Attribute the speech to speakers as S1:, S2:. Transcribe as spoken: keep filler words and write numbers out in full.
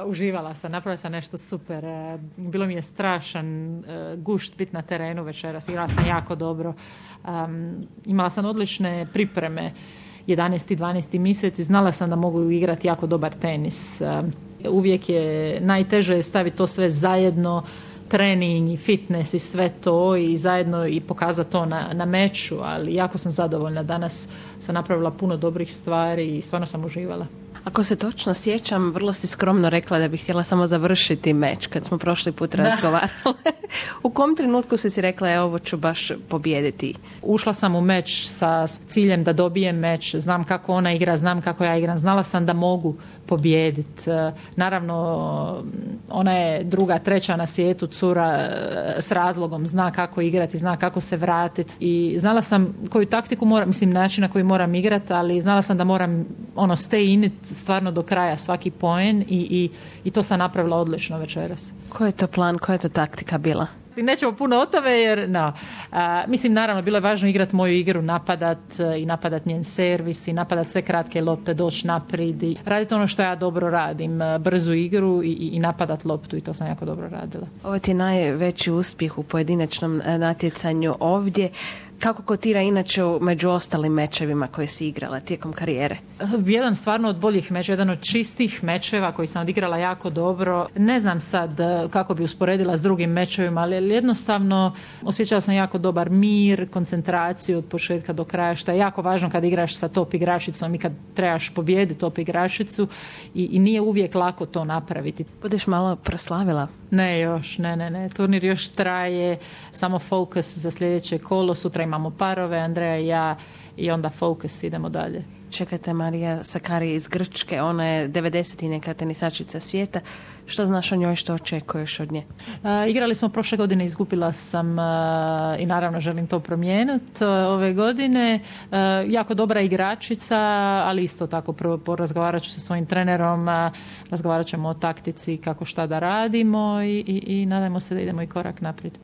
S1: uživala sam, napravila sam nešto super. Uh, bilo mi je strašan uh, gušt biti na terenu večeras. Igrala sam jako dobro. Um, imala sam odlične pripreme. jedanaesti dvanaesti mjesec i znala sam da mogu igrati jako dobar tenis. Um, uvijek je najteže staviti to sve zajedno, trening i fitness i sve to i zajedno i pokazati to na, na meču, ali jako sam zadovoljna. Danas sam napravila puno dobrih stvari i stvarno sam uživala.
S2: Ako se točno sjećam, vrlo si skromno rekla da bih htjela samo završiti meč kad smo prošli put razgovarali. U kom trenutku si si rekla, evo, ovo ću baš pobijediti?
S1: Ušla sam u meč sa ciljem da dobijem meč. Znam kako ona igra, znam kako ja igram. Znala sam da mogu pobijediti. Naravno, ona je druga, treća na svijetu, cura s razlogom. Zna kako igrati, zna kako se vratiti. I znala sam koju taktiku moram, mislim, način na koji moram igrati, ali znala sam da moram ono stay in it stvarno do kraja svaki poen i, i, i to sam napravila odlično večeras.
S2: Koji je to plan, koja je to taktika bila?
S1: Nećemo puno o tome jer, no. A, mislim, naravno, bilo je važno igrati moju igru, napadat i napadat njen servis i napadat sve kratke lopte, doći naprijed i raditi ono što ja dobro radim, brzu igru i, i napadat loptu i to sam jako dobro radila.
S2: Ovo ti je najveći uspjeh u pojedinačnom natjecanju ovdje. Kako kotira inače među ostalim mečevima koje si igrala tijekom karijere?
S1: Jedan stvarno od boljih mečeva, jedan od čistih mečeva koji sam odigrala jako dobro. Ne znam sad kako bi usporedila s drugim mečevima, ali jednostavno osjećala sam jako dobar mir, koncentraciju od početka do kraja, što je jako važno kad igraš sa top igračicom i kad trebaš pobijediti top igračicu i, i nije uvijek lako to napraviti.
S2: Budeš malo proslavila?
S1: Ne još, ne, ne, ne. Turnir još traje, samo fokus za sljedeće kolo. Sutra imamo parove, Andreja i ja, i onda fokus, idemo dalje.
S2: Čekajte, Marija Sakkari iz Grčke, ona je devedeset i neka tenisačica svijeta. Što znaš o njoj, što očekuješ od nje?
S1: Uh, igrali smo prošle godine, izgubila sam uh, i naravno želim to promijeniti uh, ove godine. Uh, jako dobra igračica, ali isto tako prvo porazgovarat ću sa svojim trenerom, uh, razgovarat ćemo o taktici, kako šta da radimo i, i, i nadajmo se da idemo i korak naprijed.